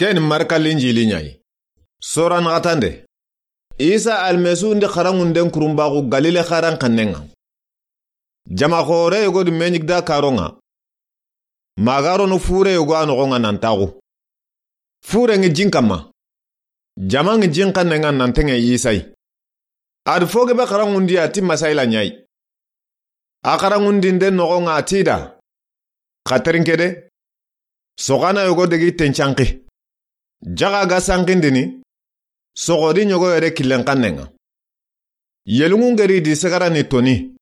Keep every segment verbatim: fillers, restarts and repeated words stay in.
Ken Marka Linjili ɲa yi. Sora naxatande. Isa Almasihu ndi xaranŋunden kurunbaxu Galile xaran xannen ŋa. Jama xoore yogo di me ɲi gida karon ŋa. Ma ga rono fure yogo a noxon ŋa nan taxu. Fure ŋi jin kanma. Jama ŋi jin xannen ŋa nan teŋe Isa yi. A di fo gebe xaranŋundi a ti masayila ɲa yi. A xaranŋundinden noxon ŋa a ti i da: Xa terinke de, soxana yogo degi tencanxi. Jaxa ga sanxindini, soxodi ɲogo yere killen xannen ŋa. Yelunŋu ŋeri di segara ni toni.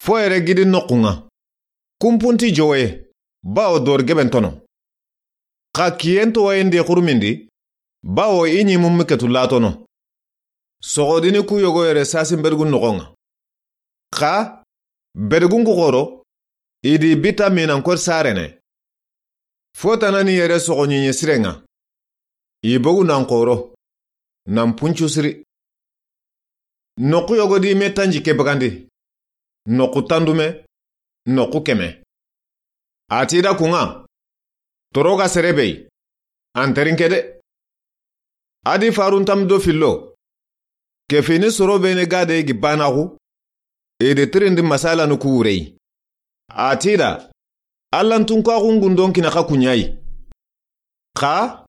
Fo yere gidi noxun ŋa. Kunpunti jowoye, bawo dori geben tono. Xa kiyen towoyen di xurumindi, bawo i ɲi mummi ketu latono. Soxodini ku yogo yere sasin bergun noxon ŋa. Xa bergun ku xoro, i di bita minan kori sarene. Fo tanani yere soxoɲiɲe siren ŋa. I bogu nan xoro, nan puncu siri. Noxu yogo di me tanji ke bagandi. Noxu tandume, noxu keme. A ti i da kun ŋa: Toro ga sere be yi, an terinke de. A di faruntam do fillo. Ke fini soro bene ga de gi banaxu. I di tirindi masayilanu ku wure yi. A ti i da: Allantunkaxun gundon kina xa ku ɲa yi. Xa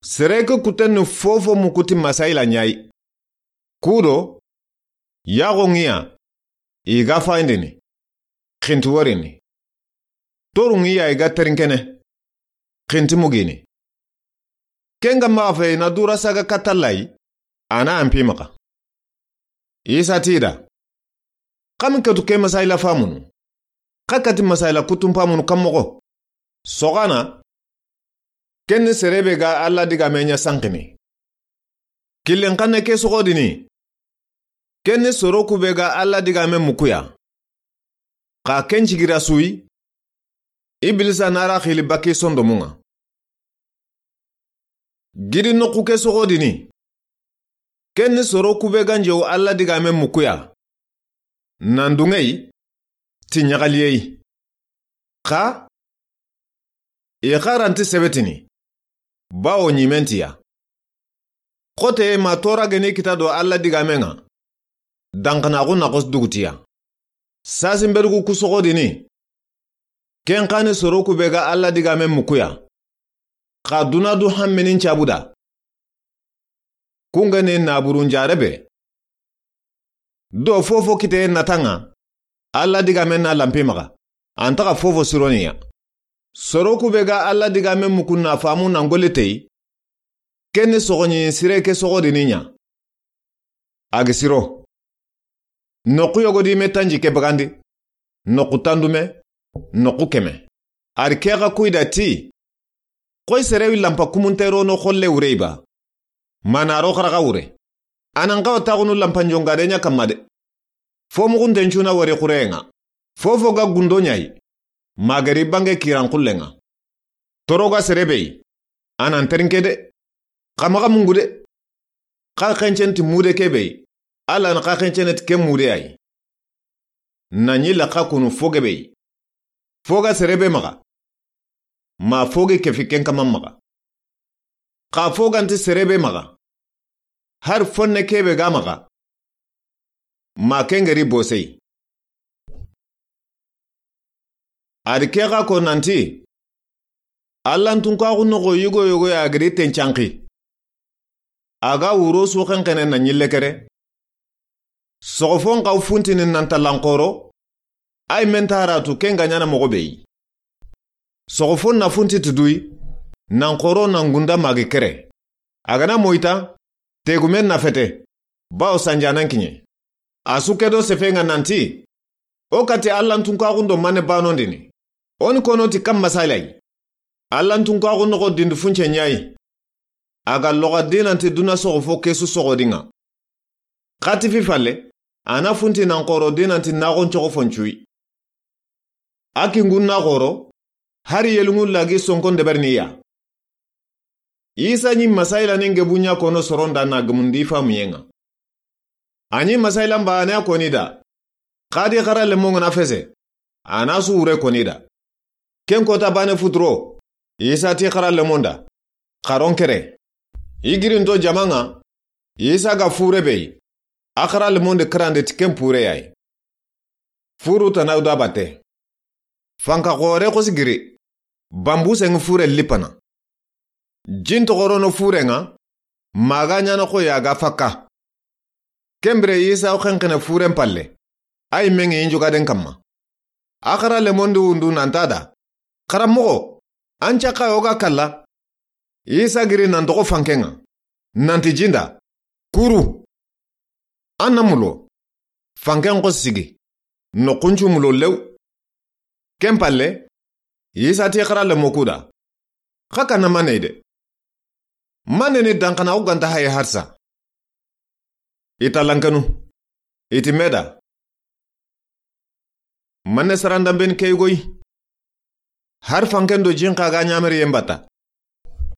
sere ke kutenni fofo mukuti masayila ɲa yi. Kudo, yaxo ŋiya, i ga fayindini, xinti worini. Toru ŋiya i ga terinkene, xinti mugini. Ken ga maxa fe i na dura saga katallay, a na anpi maxa. Isa ti i da: Xa mi ketu ke masayila famunu? Xa kati masayila kutun famunu kan moxo? Soxana, ken ni sere be ga Alla digame ɲa sanxini. Killen xanne ke soxodini, ken ni soro ku be ga Alla digame mukuya. Xa ken cigira suyi, Ibilisa na ra xili baki sondomun ŋa. Gidi noxu ke soxodini, ken ni soro ku be ga njewu Alla digame mukuya. Nan dunŋe yi, ti ɲaxaliye yi. Xa i xaranti sebetini, bawo ɲimentiya. Xote ma tora geni kita do Alla digamen ŋa, danxanaxu na xos dugutiya. Sasin berugu ku soxodini, ken xa ni soro ku be ga Alla digamen mukuya. Xa duna du hammenin cabuda. Kungeni naburun jarebe. Do fofo kite nata ŋa, Alla digamen na lampi maxa, an taxa fofo sironiya. Soro ku be ga Alla digamen mukun na famu nan golle tey, ken ni soxoɲi sire ke soxodini ɲa. A gi siro. Noxu yogo di me tanji ke bagandi, noxu tandume, noxu keme. A ri ke xa kuyi da ti: Xoy sere wi lampa kumunte rono xolle wure yi ba? Mana ro xaraxa wure. A nan xawa taxunu lampa njongade ɲa kamma de. Fo muxunten cuna wari xureyen ŋa. Fofo ga gundo ɲa yi, ma geri bange kiran xullen ŋa. Toro ga sere be yi, a nan terinke de. Xa maxa mungu de. Xa xencen ti mude ke be yi, Alla na xa xencene ti ke mude ya yi. Na ɲi laxa kunu fo gebe yi. Fo ga sere be maxa, ma fo gi kefi ken kaman maxa. Xa fo ganti sere be maxa, hari fonne ke be ga maxa, ma ken geri bose yi. A ri ke xa ko nanti: Allantunkaxu noxo yigo yogo ya giri tencanxi. A ga wuro su xenxene na ɲille kere. Soxofon xaw funtini nan tallan xoro, ay men taratu ken ga ɲana moxo be yi. Soxofon na funti tuduyi, nan xoro nan gunda magi kere. A ga na moyita, tegumen na fete, bawo sanjanan kiɲe. A su ke do sefen ŋa nanti: O kati Allantunkaxun do mane banondini. O ni kono ti kan masayila yi. Allantunkaxu noxo dindi funce ɲa yi. A ga loxa dinanti duna soxofo ke su soxodin ŋa. Xa ti fi falle, a na funti nan xoro dinanti naxon coxo foncuyi. A kingun na xoro, hari yelungun lagi sonkon deberini ya. Isa ɲi masayila ni ngebu ɲa kono soron da na gemundi famuyen ŋa. A ɲi masayilan baane a koni da. Xadi xara lemon ŋa na fese, a na su wure koni da. Ken kota baane futuro, Isa ti xara lemon da, xaron kere. I girinto jamaŋa, Isa ga fure be yi, a xara lemon di kirande ti ken pure ya yi. Furu tana da bate. Fanka xore xosi giri, bambu seŋi fure lipana. Jin toxorono fureŋa, maga ɲana xo ya ga fakka. Kembire Isa xenxene furen palle, a yi meŋi injugaden kamma. A xara lemon di wundu nanta da, xaranmoxo, an cakka yo ga kalla. Isa giri nan toxo fankeŋa, nanti jinda, kuru. An na mulo, fanken xosi sigi, noxuncu mulo lew. Ken palle, Isa ti xara lemo ku da, xa kana mane de. Mane ni dankana o ganta haye harsa. I ta lankanu, i ti meda. Mane sarandan ben key goy. Har fanken do jin xa ga ɲamere yen bata.